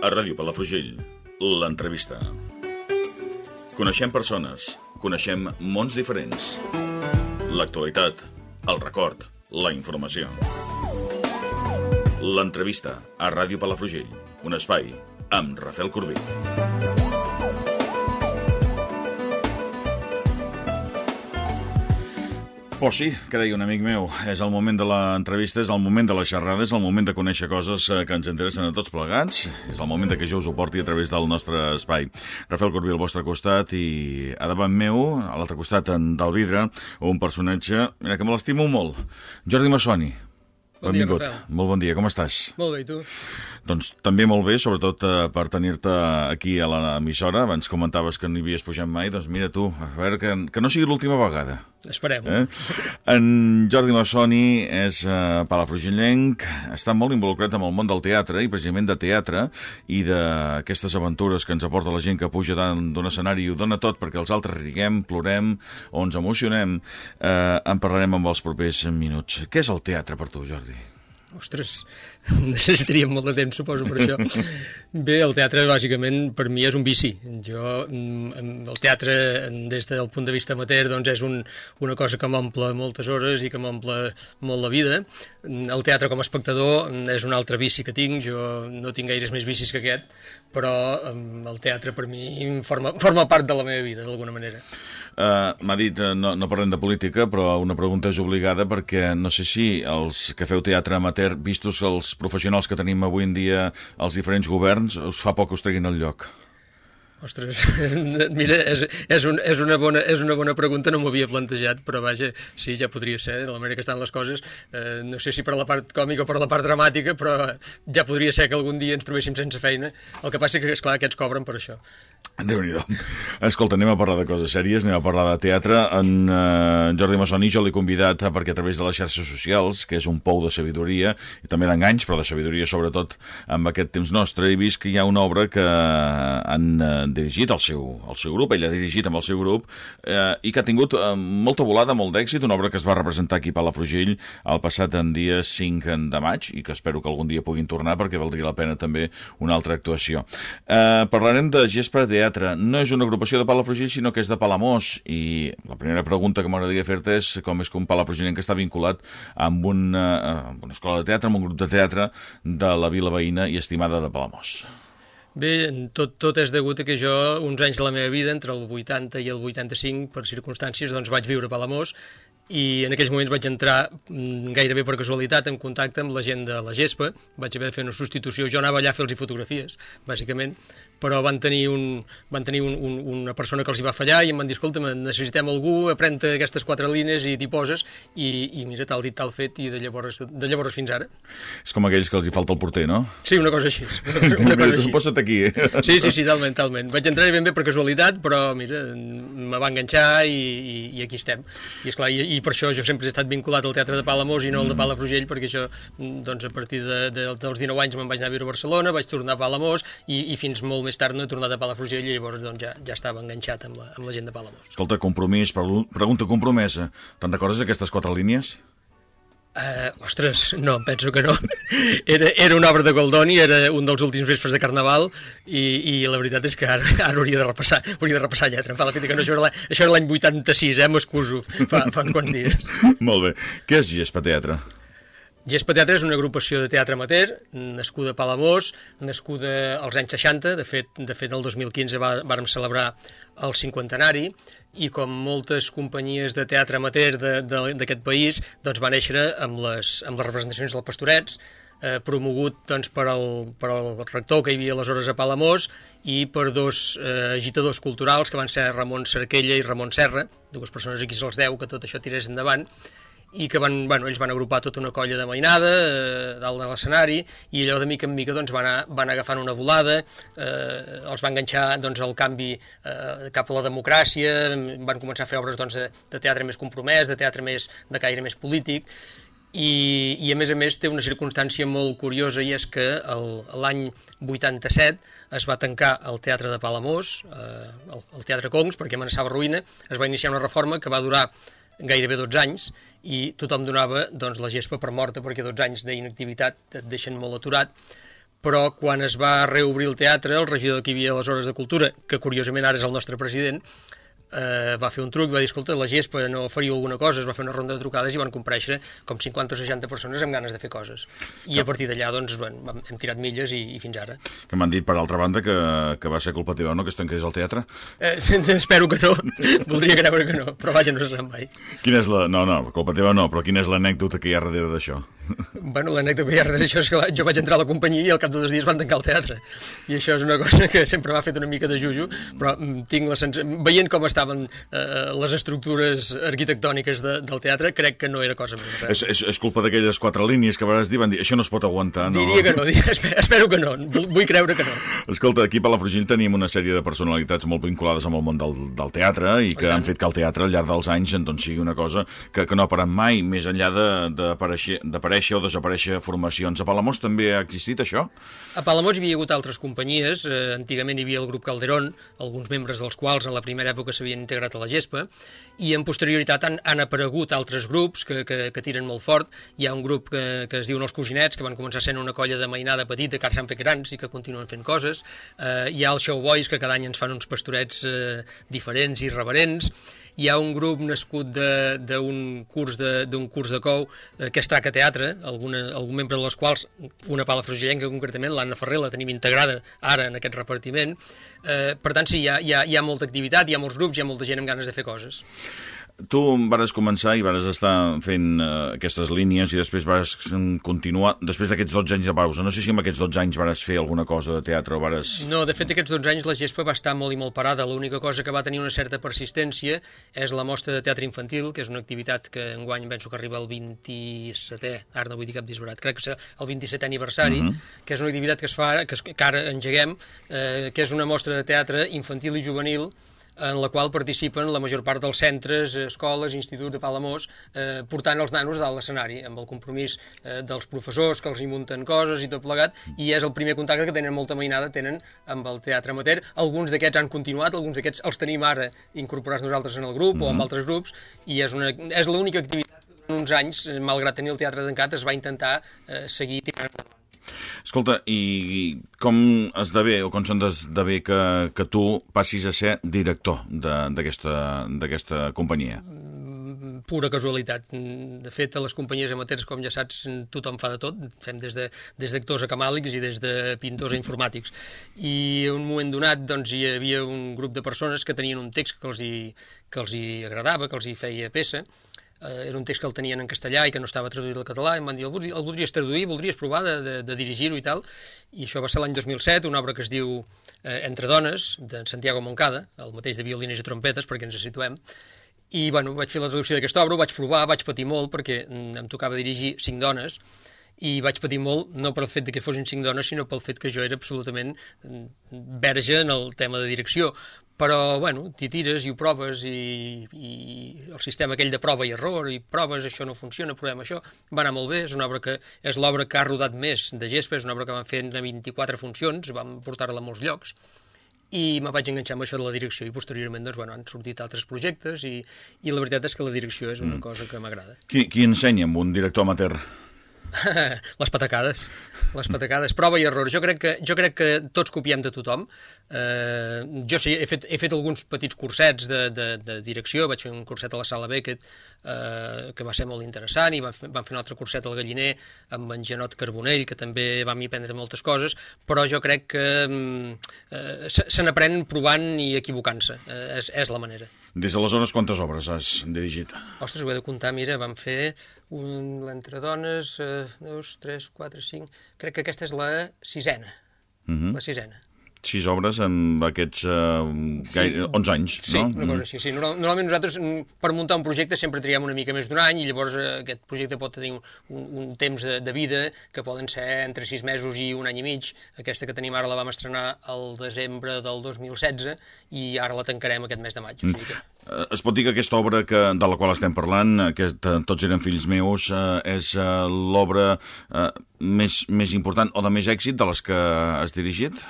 A Ràdio Palafrugell, l'entrevista. Coneixem persones, coneixem mons diferents. L'actualitat, el record, la informació. L'entrevista a Ràdio Palafrugell, un espai amb Rafael Corbí. Pues sí, que deia un amic meu, és el moment de l'entrevista, és el moment de la xerrada, és el moment de conèixer coses que ens interessen a tots plegats, és el moment que jo us ho porti a través del nostre espai. Rafael Corbí al vostre costat i a davant meu, a l'altre costat del vidre, un personatge que me l'estimo molt, Jordi Massoni. Bon dia, Rafael. Molt bon dia, com estàs? Molt bé, i tu? Doncs també molt bé, sobretot per tenir-te aquí a l'emissora. Abans comentaves que no hi havies pujat mai, doncs mira tu, a veure que no sigui l'última vegada. Esperem-ho. En Jordi Massoni és palafrugellenc, està molt involucrat amb el món del teatre, i precisament de teatre, i d'aquestes aventures que ens aporta la gent que puja d'un escenari i ho dona tot perquè els altres riguem, plorem o ens emocionem. En parlarem amb els propers minuts. Què és el teatre per tu, Jordi? Ostres, necessitaríem molt de temps, suposo, per això. Bé, el teatre, bàsicament, per mi és un vici. El teatre, des del punt de vista amateur, doncs és una cosa que m'omple moltes hores i que m'omple molt la vida. El teatre com a espectador és un altre vici que tinc. Jo no tinc gaires més vicis que aquest, però el teatre per mi forma part de la meva vida, d'alguna manera. M'ha dit, no parlem de política, però una pregunta és obligada perquè no sé si els que feu teatre amateur, vistos els professionals que tenim avui en dia als diferents governs, us fa por que us treguin el lloc. Ostres, mira, és una bona pregunta, no m'ho havia plantejat, però vaja, sí, ja podria ser, de la manera que estan les coses, no sé si per la part còmica o per la part dramàtica, però ja podria ser que algun dia ens trobéssim sense feina. El que passa que, esclar, aquests cobren per això. Déu-n'hi-do. Escolta, anem a parlar de coses sèries, anem a parlar de teatre. En Jordi Massoni jo l'he convidat perquè a través de les xarxes socials, que és un pou de sabidoria, i també d'enganys, però de sabidoria sobretot amb aquest temps nostre, he vist que hi ha una obra que han dirigit el seu grup, ell ha dirigit amb el seu grup, i que ha tingut molta volada, molt d'èxit, una obra que es va representar aquí a Palafrugell el passat dia 5 de maig, i que espero que algun dia puguin tornar perquè valdria la pena també una altra actuació. Parlarem de Gespa Teatre. No és una agrupació de Palafrugell, sinó que és de Palamós, i la primera pregunta que m'agradaria fer-te és com és que un palafrugellenc que està vinculat amb una escola de teatre, amb un grup de teatre de la vila veïna i estimada de Palamós. Bé, tot és degut a que jo, uns anys de la meva vida, entre el 80 i el 85, per circumstàncies, doncs vaig viure a Palamós, i en aquells moments vaig entrar gairebé per casualitat en contacte amb la gent de la Gespa. Vaig haver de fer una substitució, jo anava allà a fer-los fotografies, bàsicament, però van tenir una persona que els hi va fallar i em van dir, escolta, necessitem algú, aprèn-te aquestes 4 línies i t'hi poses, i mira, tal dit, tal fet, i de llavors fins ara. És com aquells que els hi falta el porter, no? Sí, una cosa així. Posa't aquí. Sí, talment. Vaig entrar ben bé per casualitat, però mira, me va enganxar i aquí estem. I esclar, i per això jo sempre he estat vinculat al teatre de Palamós i no al de Palafrugell, perquè això, doncs, a partir dels 19 anys me'n vaig anar a viure a Barcelona, vaig tornar a Palamós i fins molt més tard no he tornat a Palafrugell i llavors doncs, ja estava enganxat amb la gent de Palamós. Escolta, compromís, pregunta compromesa. Te'n recordes aquestes 4 línies? Ostres, no, penso que no. Era una obra de Goldoni, era un dels últims vespres de Carnaval i la veritat és que ara hauria de repassar lletra. Em fa la fita que no, això era l'any 86, m'excuso, fa uns quants dies. Molt bé. Què és Gespa Teatre? Gespa Teatre és una agrupació de teatre amateur, nascuda a Palamós, nascuda als anys 60, de fet el 2015 vàrem celebrar el 50enari, i com moltes companyies de teatre amateur d'aquest país, doncs va néixer amb les representacions del Pastorets, promogut doncs, per el rector que hi havia aleshores a Palamós i per 2 agitadors culturals que van ser Ramon Cerquella i Ramon Serra, 2 persones a qui se'ls deu que tot això tirés endavant, i que ells van agrupar tota una colla de mainada dalt de l'escenari, i allò de mica en mica doncs, van agafant una volada, els va enganxar doncs, el canvi cap a la democràcia, van començar a fer obres doncs, de teatre més compromès, de teatre de caire més polític, i a més té una circumstància molt curiosa, i és que l'any 87 es va tancar el Teatre de Palamós, el Teatre Concs, perquè amenaçava ruïna. Es va iniciar una reforma que va durar gairebé 12 anys, i tothom donava doncs, la Gespa per morta, perquè 12 anys d'inactivitat et deixen molt aturat, però quan es va reobrir el teatre, el regidor que hi havia aleshores de Cultura, que curiosament ara és el nostre president, va fer un truc, va dir, escolta, la gespa no faria alguna cosa, es va fer una ronda de trucades i van comparèixer com 50 o 60 persones amb ganes de fer coses. I a partir d'allà, doncs, bueno, hem tirat milles i fins ara. Que m'han dit, per altra banda, que va ser culpa teva, no?, que es tanqués el teatre? Espero que no, voldria creure que no, però vaja, no se sap mai. Quina és la... No, culpa teva no, però quina és l'anècdota que hi ha darrere d'això? Bueno, l'anècdota que hi ha darrere d'això és que jo vaig entrar a la companyia i al cap de 2 dies van tancar el teatre. I això és una cosa que sempre m'ha fet una mica de jujo, però tinc la sensació... Veient com estaven les estructures arquitectòniques del teatre, crec que no era cosa meva. És culpa d'aquelles 4 línies que vas dir, van dir, això no es pot aguantar, no? Diria que no, espero que no, vull creure que no. Escolta, aquí a Palafrugell tenim una sèrie de personalitats molt vinculades amb el món del teatre i que han fet que el teatre al llarg dels anys doncs, sigui una cosa que no ha parat mai, més enllà d'aparèixer o desaparèixer formacions. A Palamós també ha existit això? A Palamós hi havia hagut altres companyies, antigament hi havia el grup Calderón, alguns membres dels quals en la primera època s'havien integrat a la gespa, i en posterioritat han aparegut altres grups que tiren molt fort. Hi ha un grup que es diuen els Cosinets, que van començar sent una colla de mainada petita, que ara s'han fet grans i que continuen fent coses. Hi ha els Showboys, que cada any ens fan uns pastorets diferents i reverents. Hi ha un grup nascut d'un curs de cou que es Traca Teatre, algun membre de les quals, una palafrugellenca concretament, l'Anna Ferrer, la tenim integrada ara en aquest repartiment. Per tant, sí, hi ha molta activitat, hi ha molts grups, hi ha molta gent amb ganes de fer coses. Tu vares començar i vares estar fent aquestes línies i després vares continuar, després d'aquests 12 anys de pausa. No sé si amb aquests 12 anys vares fer alguna cosa de teatre o vares... No, de fet, aquests 12 anys la gespa va estar molt i molt parada. L'única cosa que va tenir una certa persistència és la mostra de teatre infantil, que és una activitat que enguany penso que arriba al 27è, ara no vull dir cap disbarat, crec que és el 27è aniversari, que és una activitat que es fa, que ara engeguem, que és una mostra de teatre infantil i juvenil, en la qual participen la major part dels centres, escoles, instituts de Palamós, portant els nanos dalt l'escenari, amb el compromís dels professors que els hi munten coses i tot plegat, i és el primer contacte que tenen molta mainada, tenen amb el teatre amateur. Alguns d'aquests han continuat, alguns d'aquests els tenim ara incorporats nosaltres en el grup o amb altres grups, i és l'única activitat que en uns anys, malgrat tenir el teatre tancat, es va intentar seguir tirant endavant. Escolta, i com esdevé o com s'esdevé que tu passis a ser director d'aquesta companyia? Pura casualitat. De fet, a les companyies amateurs, com ja saps, tothom fa de tot. Fem des d'actors a camàlics i des de pintors a informàtics. I en un moment donat doncs, hi havia un grup de persones que tenien un text que els hi agradava, que els hi feia peça. Era un text que el tenien en castellà i que no estava traduït al català, i em van dir, el voldries traduir, voldries provar de dirigir-ho i tal, i això va ser l'any 2007, una obra que es diu Entre dones, de Santiago Moncada, el mateix de violines i trompetes, perquè ens situem, i bueno, vaig fer la traducció d'aquesta obra, ho vaig provar, vaig patir molt, perquè em tocava dirigir 5 dones, i vaig patir molt, no pel fet que fossin 5 dones, sinó pel fet que jo era absolutament verge en el tema de direcció. Però, bueno, t'hi tires i ho proves i el sistema aquell de prova i error i proves, això no funciona, provem això, va anar molt bé, és l'obra que ha rodat més de gespa, és una obra que vam fer en 24 funcions, vam portar-la a molts llocs, i me vaig enganxar amb això de la direcció i posteriorment doncs, bueno, han sortit altres projectes i la veritat és que la direcció és una cosa que m'agrada. Qui ensenya amb un director amateur? Les patacades, prova i error. Jo crec que tots copiem de tothom. Jo sí, he fet alguns petits cursets de direcció, vaig fer un curset a la Sala Beckett que va ser molt interessant, i vam fer un altre curset al Galliner amb en Janot Carbonell, que també vam aprendre moltes coses, però jo crec que se n'aprèn provant i equivocant-se, és la manera. Des d'aleshores, quantes obres has dirigit? Ostres, ho he de comptar, mira, vam fer l'Entre dones, 2, 3, 4, 5... Crec que aquesta és la 6a, la 6a. 6 obres en aquests 11 anys, no? Sí, una cosa així. Sí. Normalment nosaltres, per muntar un projecte, sempre triem una mica més d'un any, i llavors aquest projecte pot tenir un temps de vida que poden ser entre 6 mesos i un any i mig. Aquesta que tenim ara la vam estrenar el desembre del 2016 i ara la tancarem aquest mes de maig. O sigui que... Es pot dir que aquesta obra de la qual estem parlant, que Tots eren fills meus, és l'obra més important o de més èxit de les que has dirigit?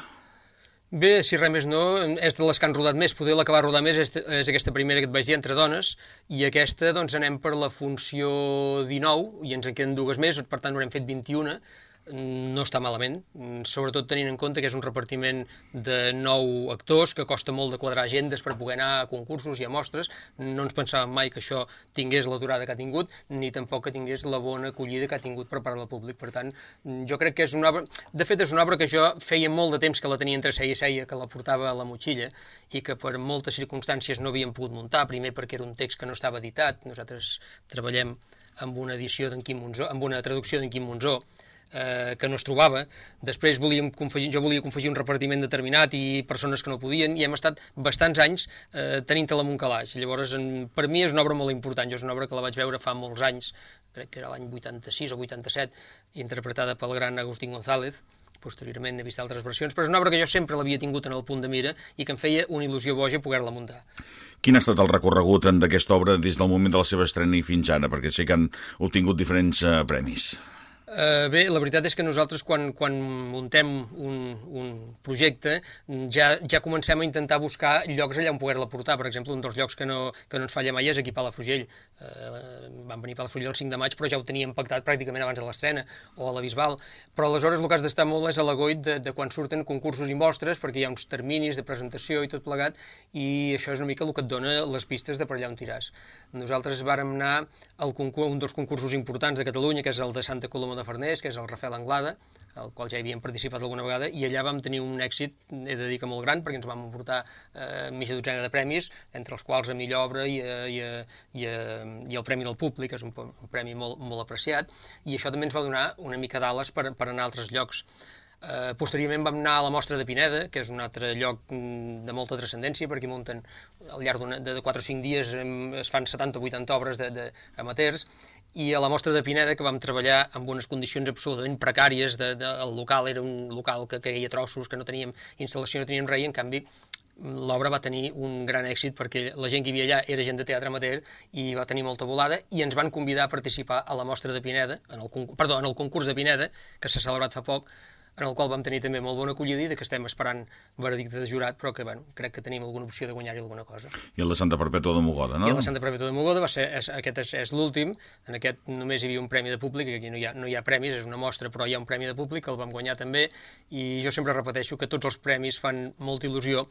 Bé, si res més no, és de les que han rodat més. Poder la que va rodar més és aquesta primera que et vaig dir, Entre dones, i aquesta doncs anem per la funció 19, i ens en queden 2 més, per tant n'haurem fet 21. no està malament, sobretot tenint en compte que és un repartiment de 9 actors, que costa molt de quadrar agendes per poder anar a concursos i a mostres. No ens pensàvem mai que això tingués la durada que ha tingut, ni tampoc que tingués la bona acollida que ha tingut per part del públic. Per tant, jo crec que és una obra... De fet, és una obra que jo feia molt de temps que la tenia entre seia i seia, que la portava a la motxilla, i que per moltes circumstàncies no havíem pogut muntar, primer perquè era un text que no estava editat. Nosaltres treballem amb una edició d'en Quim Monzó, amb una traducció d'en Quim Monzó, que no es trobava. Després jo volia confegir un repartiment determinat i persones que no podien, i hem estat bastants anys tenint-la en un calaix. Llavors, per mi és una obra molt important. Jo és una obra que la vaig veure fa molts anys, crec que era l'any 86 o 87, interpretada pel gran Agustín González. Posteriorment he vist altres versions, però és una obra que jo sempre l'havia tingut en el punt de mira i que em feia una il·lusió boja poder-la muntar. Quin ha estat el recorregut d'aquesta obra des del moment de la seva estrena i fins ara? Perquè sé que han obtingut diferents premis. Bé, la veritat és que nosaltres quan muntem un projecte ja comencem a intentar buscar llocs allà on poder-la portar. Per exemple, un dels llocs que no ens falla mai és aquí a Palafrugell. Van venir a Palafrugell el 5 de maig, però ja ho teníem pactat pràcticament abans de l'estrena, o a la Bisbal. Però aleshores el que has d'estar molt és a l'agoit de quan surten concursos i mostres, perquè hi ha uns terminis de presentació i tot plegat, i això és una mica el que et dona les pistes de per allà on tiràs. Nosaltres vàrem anar a un dels concursos importants de Catalunya, que és el de Santa Coloma de Farners, que és el Rafael Anglada, al qual ja hi havíem participat alguna vegada, i allà vam tenir un èxit, he de dir que molt gran, perquè ens vam emportar mitja dotzena de premis, entre els quals a millor obra i el Premi del Públic, que és un premi molt apreciat, i això també ens va donar una mica d'ales per anar a altres llocs. Posteriorment vam anar a la Mostra de Pineda, que és un altre lloc de molta transcendència, perquè munten al llarg de 4 o 5 dies es fan 70 o 80 obres d'amateurs, i a la Mostra de Pineda, que vam treballar amb unes condicions absolutament precàries, el local era un local que caia a trossos, que no teníem instal·lació, no teníem res, i en canvi l'obra va tenir un gran èxit perquè la gent que hi havia allà era gent de teatre amateur i va tenir molta volada, i ens van convidar a participar a la Mostra de Pineda, en el concurs de Pineda, que s'ha celebrat fa poc, en el qual vam tenir també molt bona acollida i que estem esperant veredicte de jurat, però que crec que tenim alguna opció de guanyar-hi alguna cosa. I el de Santa Perpètua de Mogoda, no? I el de Santa Perpètua de Mogoda aquest és l'últim. En aquest només hi havia un premi de públic, aquí no hi ha premis, és una mostra, però hi ha un premi de públic que el vam guanyar també, i jo sempre repeteixo que tots els premis fan molta il·lusió,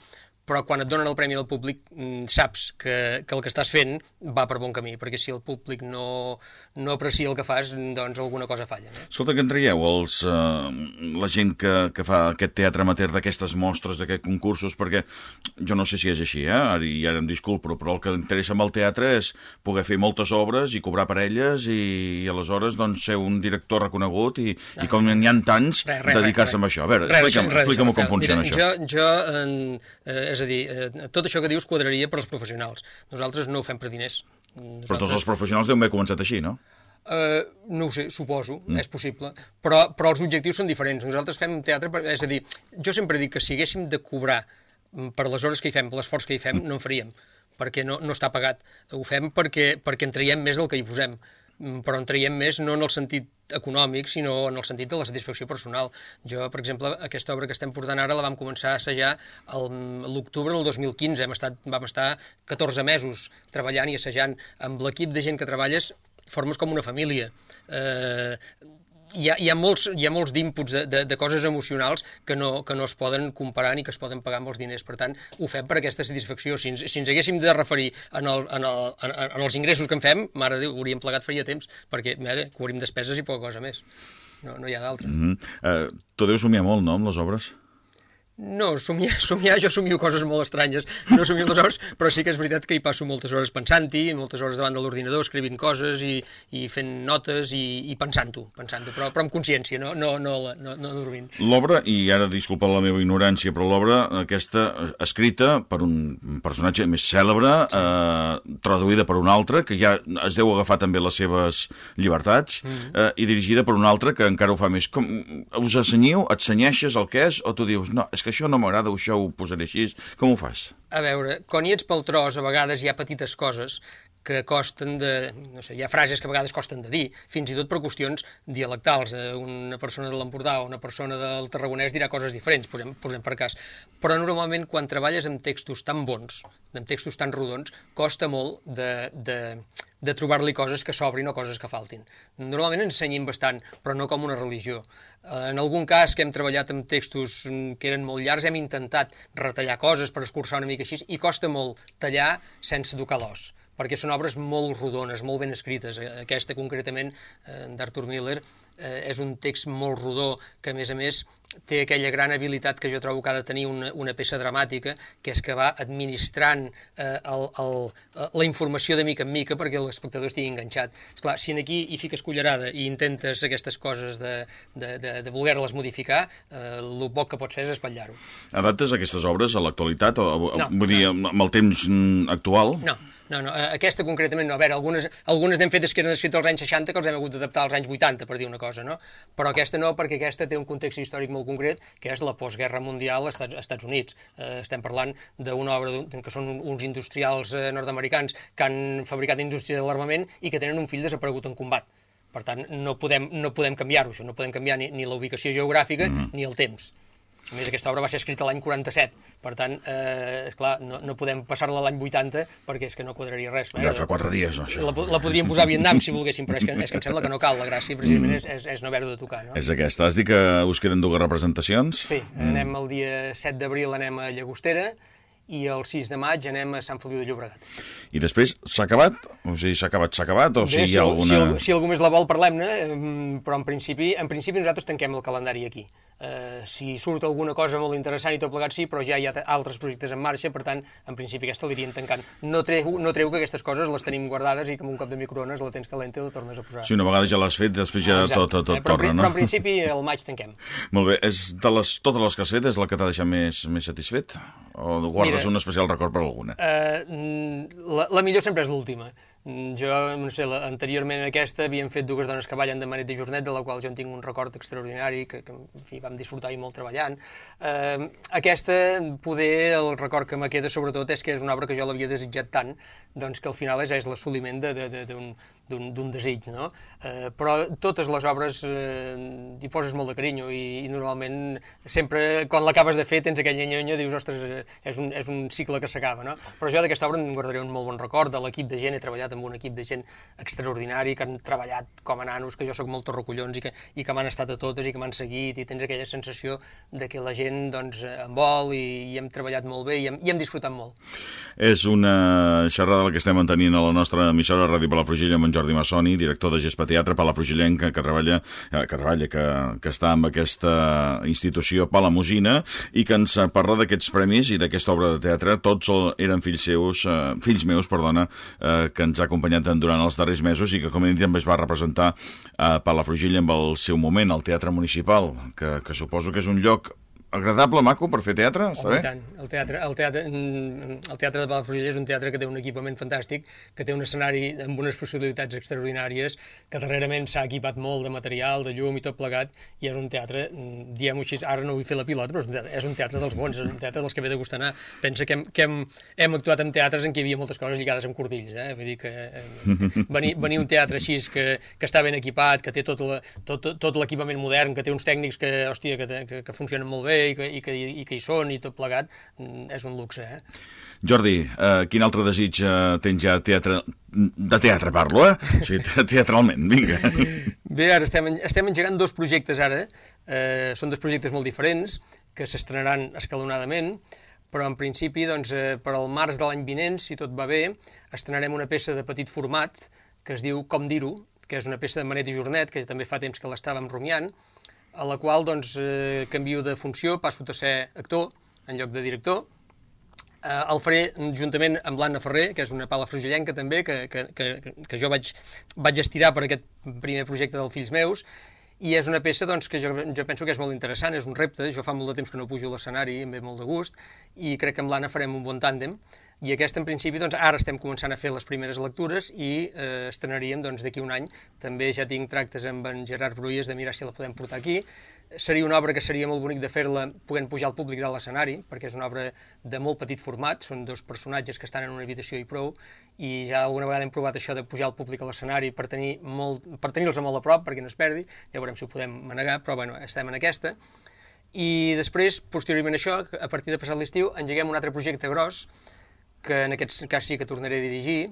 però quan et donen el premi del públic saps que el que estàs fent va per bon camí, perquè si el públic no aprecia el que fas, doncs alguna cosa falla. No? Escolta, que en traieu la gent que fa aquest teatre amateur d'aquestes mostres, d'aquests concursos, perquè jo no sé si és així, i ara em disculpo, però el que interessa amb el teatre és poder fer moltes obres i cobrar per elles i aleshores doncs, ser un director reconegut i com n'hi ha tants, dedicar-se a això. A veure, explica'm com funciona això. És a dir, tot això que dius quadraria per als professionals. Nosaltres no ho fem per diners. Però tots els professionals deuen haver començat així, no? No ho sé, suposo, és possible, però els objectius són diferents. Nosaltres fem teatre, és a dir, jo sempre dic que si haguéssim de cobrar per les hores que hi fem, per l'esforç que hi fem, no en faríem, perquè no està pagat. Ho fem perquè en traiem més del que hi posem, però en traiem més no en el sentit econòmic, sinó en el sentit de la satisfacció personal. Jo, per exemple, aquesta obra que estem portant ara la vam començar a assajar l'octubre del 2015. Vam estar 14 mesos treballant i assajant. Amb l'equip de gent que treballes formes com una família. Hi ha molts d'inputs de coses emocionals que no es poden comparar ni que es poden pagar amb els diners. Per tant, ho fem per aquesta satisfacció. Si ens haguéssim de referir en els ingressos que en fem, mare de Déu, hauríem plegat faria temps, perquè cobrim despeses i poca cosa més. No hi ha d'altra. Tu deus somiar molt, no, amb les obres? No, somiar, jo somio coses molt estranyes, no somio les hores, però sí que és veritat que hi passo moltes hores pensant-hi, moltes hores davant de l'ordinador, escrivint coses i fent notes i pensant-ho, però amb consciència, no dormint. L'obra, i ara disculpa la meva ignorància, però l'obra aquesta escrita per un personatge més cèlebre, traduïda per un altre, que ja es deu agafar també les seves llibertats, i dirigida per un altre que encara ho fa més. Us assenyiu, et senyeixes el que és, o tu dius, no, és que això no m'agrada, això ho posaré així, com ho fas? A veure, quan hi ets pel tros, a vegades hi ha petites coses que costen no sé, hi ha frases que a vegades costen de dir, fins i tot per qüestions dialectals. Una persona de l'Empordà o una persona del Tarragonès dirà coses diferents, posem per cas. Però normalment quan treballes amb textos tan bons, amb textos tan rodons, costa molt de trobar-li coses que s'obrin o coses que faltin. Normalment ensenyem bastant, però no com una religió. En algun cas que hem treballat amb textos que eren molt llargs, hem intentat retallar coses per escurçar una mica així, i costa molt tallar sense tocar l'os, perquè són obres molt rodones, molt ben escrites. Aquesta, concretament, d'Arthur Miller, és un text molt rodó, que, a més, té aquella gran habilitat que jo trobo que ha de tenir una peça dramàtica, que és que va administrant la informació de mica en mica perquè l'espectador estigui enganxat. Esclar, si aquí hi fiques cullerada i intentes aquestes coses de voler-les modificar, el poc que pots fer és espatllar-ho. Adaptes aquestes obres a l'actualitat? No. Vull dir, amb el temps actual? No, aquesta concretament no. A veure, algunes n'hem fetes que eren escrites als anys 60 que els hem hagut d'adaptar als anys 80, per dir una cosa, no? Però aquesta no, perquè aquesta té un context històric molt concret, que és la postguerra mundial als Estats Units. Estem parlant d'una obra que són uns industrials nord-americans que han fabricat indústria de l'armament i que tenen un fill desaparegut en combat. Per tant, no podem canviar-ho, això. No podem canviar ni la ubicació geogràfica ni el temps. A més, aquesta obra va ser escrita l'any 47, per tant, esclar, no podem passar-la a l'any 80 perquè és que no quadraria res. Ja fa 4 dies, no, això. La podríem posar a Vietnam, si volguéssim, però és que em sembla que no cal. La gràcia, precisament, és no haver-ho de tocar. No? És aquesta. Has dit que us queden 2 representacions? Sí, anem el dia 7 d'abril, anem a Llagostera, i el 6 de maig anem a Sant Feliu de Llobregat. I després, s'ha acabat? O sigui, s'ha acabat? O sigui, hi ha alguna... Si algú més la vol, parlem-ne, però en principi nosaltres tanquem el calendari aquí. Si surt alguna cosa molt interessant i tot plegat sí, però ja hi ha altres projectes en marxa, per tant, en principi aquesta l'irien tancant. No treu que aquestes coses les tenim guardades i que amb un cop de microones la tens calenta i la tornes a posar. Sí, una vegada ja l'has fet, després ja tot torna, no? Però en principi el maig tanquem. Molt bé. Totes les que has fet és la que t'ha deixat més satisfet? O guardes un especial record per alguna? La millor sempre és l'última. Jo, no sé, anteriorment a aquesta havíem fet 2 dones que ballen de Manet de Jornet, de la qual jo en tinc un record extraordinari, que en fi, vam disfrutar-hi molt treballant. Aquesta, poder, el record que me queda sobretot és que és una obra que jo l'havia desitjat tant, doncs que al final és l'assoliment d'un desig, no? Però totes les obres hi poses molt de carinyo i normalment sempre quan l'acabes de fer tens aquella nyonya, dius, ostres, és un cicle que s'acaba, no? Però jo d'aquesta obra em guardaré un molt bon record, de l'equip de gent, he treballat amb un equip de gent extraordinari, que han treballat com a nanos, que jo sóc molt torracollons i que m'han estat a totes i que m'han seguit, i tens aquella sensació de que la gent doncs, em vol i hem treballat molt bé i hem disfrutat molt. És una xerrada la que estem mantenint a la nostra emissora Ràdio Palafrugell amb en Jordi Massoni, director de Gespa Teatre palafrugellenc, que està amb aquesta institució palamosina i que ens parla d'aquests premis i d'aquesta obra de teatre. Tots eren fills meus, que ens ha acompanyat durant els darrers mesos i que, com he dit, també es va representar a Palafrugell en el seu moment, al Teatre Municipal, que suposo que és un lloc agradable, maco, per fer teatre, està bé? Tant. El teatre de Palafrugell és un teatre que té un equipament fantàstic, que té un escenari amb unes possibilitats extraordinàries, que darrerament s'ha equipat molt de material, de llum i tot plegat, i és un teatre, diguem-ho així, ara no vull fer la pilota, però és un teatre dels bons, és un teatre dels que ve de gust anar. Pensa que hem actuat en teatres en què hi havia moltes coses lligades amb cordills, vull dir que venir un teatre així que està ben equipat, que té tot l'equipament modern, que té uns tècnics que, hòstia, que funcionen molt bé, i que hi són i tot plegat, és un luxe. Jordi, quin altre desig tens ja de teatre parlo, O sigui, teatralment, vinga. Bé, ara estem engegant 2 projectes ara, són 2 projectes molt diferents, que s'estrenaran escalonadament, però en principi, doncs, per al març de l'any vinent, si tot va bé, estrenarem una peça de petit format, que es diu Com dir-ho, que és una peça de Manet i Jornet, que també fa temps que l'estàvem rumiant, a la qual doncs, canvio de funció, passo a ser actor en lloc de director. El faré juntament amb l'Anna Ferrer, que és una palafrugellenca també, que jo vaig estirar per aquest primer projecte dels fills meus, i és una peça doncs, que jo penso que és molt interessant, és un repte, jo fa molt de temps que no pujo a l'escenari, em ve molt de gust, i crec que amb l'Anna farem un bon tàndem. i aquesta, en principi, doncs, ara estem començant a fer les primeres lectures i estrenaríem d'aquí un any. També ja tinc tractes amb en Gerard Bruyes de mirar si la podem portar aquí. Seria una obra que seria molt bonic de fer-la podent pujar al públic de l'escenari, perquè és una obra de molt petit format, són dos personatges que estan en una habitació i prou, i ja alguna vegada hem provat això de pujar al públic a l'escenari per tenir-los molt a prop, perquè no es perdi, ja veurem si ho podem manegar, però bueno, estem en aquesta. I després, posteriorment a això, a partir de passat l'estiu, engeguem un altre projecte gros, que en aquest cas sí que tornaré a dirigir,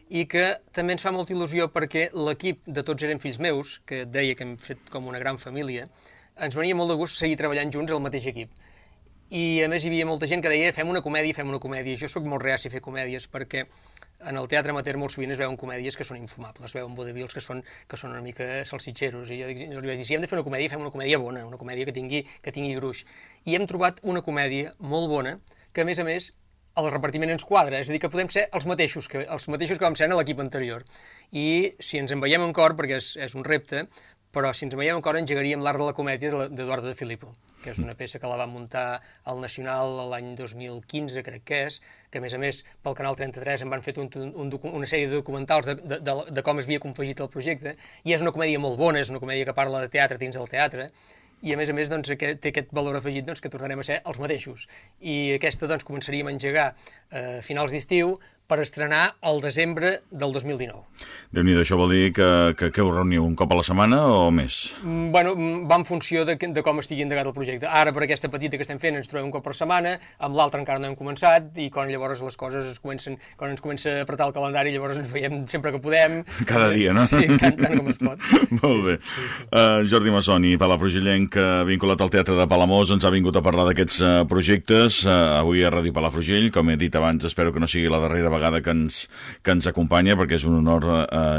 i que també ens fa molta il·lusió perquè l'equip de Tots eren fills meus, que et deia que hem fet com una gran família, ens venia molt de gust seguir treballant junts al mateix equip. I a més hi havia molta gent que deia fem una comèdia. Jo sóc molt reaci a fer comèdies perquè en el teatre amateur molt sovint es veuen comèdies que són infumables, es veuen vodevils que són una mica salsitxeros. I jo li vaig dir, si hem de fer una comèdia, fem una comèdia bona, una comèdia que tingui gruix. I hem trobat una comèdia molt bona que, a més, el repartiment ens quadra, és a dir, que podem ser els mateixos que vam ser en l'equip anterior. I si ens en veiem en cor, perquè és un repte, però si ens en veiem en cor engegaríem l'Art de la Comèdia d'Eduardo de Filippo, que és una peça que la va muntar al Nacional l'any 2015, crec que és, que a més pel Canal 33 en van fet una sèrie de documentals de com es havia confegit el projecte, i és una comèdia molt bona, és una comèdia que parla de teatre dins del teatre, i a més doncs, té aquest valor afegit doncs, que tornarem a ser els mateixos. I aquesta doncs, començaríem a engegar a finals d'estiu per estrenar al desembre del 2019. Déu-n'hi-do, això vol dir que ho reuniu un cop a la setmana o més? Bueno, va en funció de com estigui endegat el projecte. Ara, per aquesta petita que estem fent, ens trobem un cop per setmana, amb l'altra encara no hem començat, i quan llavors les coses quan ens comença a apretar el calendari, llavors ens veiem sempre que podem. Cada dia, no? Sí, tant com es pot. Molt bé. Jordi Massoni, palafrugellenc, vinculat al Teatre de Palamós, ens ha vingut a parlar d'aquests projectes, avui a Ràdio Palafrugell. Com he dit abans, espero que no sigui la darrera vegada que ens acompanya, perquè és un honor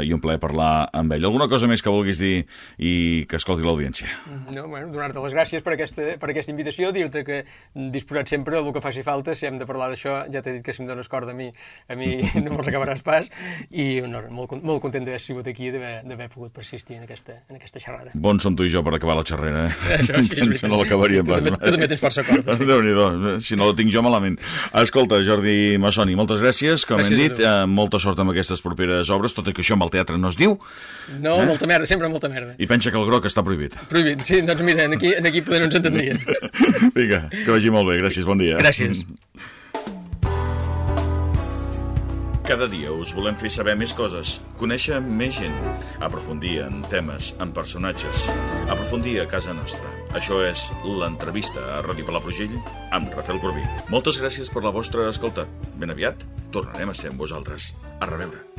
i un plaer parlar amb ell. Alguna cosa més que vulguis dir i que escolti l'audiència? No, bueno, donar-te les gràcies per aquesta invitació, dir-te que disposat sempre el que faci falta, si hem de parlar d'això, ja t'he dit que si em dones corda a mi no me'ls acabaràs pas, i molt content d'haver sigut aquí i d'haver pogut persistir en aquesta xerrada. Bons som tu i jo per acabar la xerrera, Això sí, és veritat. No l'acabaríem pas. Tu també tens força corda. Déu-n'hi-do, si no la tinc jo malament. Escolta, Jordi Massoni, moltes gràcies. Com hem dit, molta sort amb aquestes properes obres, tot i que això amb el teatre no es diu. No, molta merda, sempre molta merda. I pensa que el groc està prohibit. Prohibit, sí, doncs mira, aquí poder no ens entendries. Vinga, que vagi molt bé, gràcies, bon dia. Gràcies. Cada dia us volem fer saber més coses, conèixer més gent, aprofundir en temes, en personatges, aprofundir a casa nostra. Això és l'entrevista a Ràdio Palafrugell amb Rafael Corbí. Moltes gràcies per la vostra escolta. Ben aviat tornarem a ser amb vosaltres. A reveure.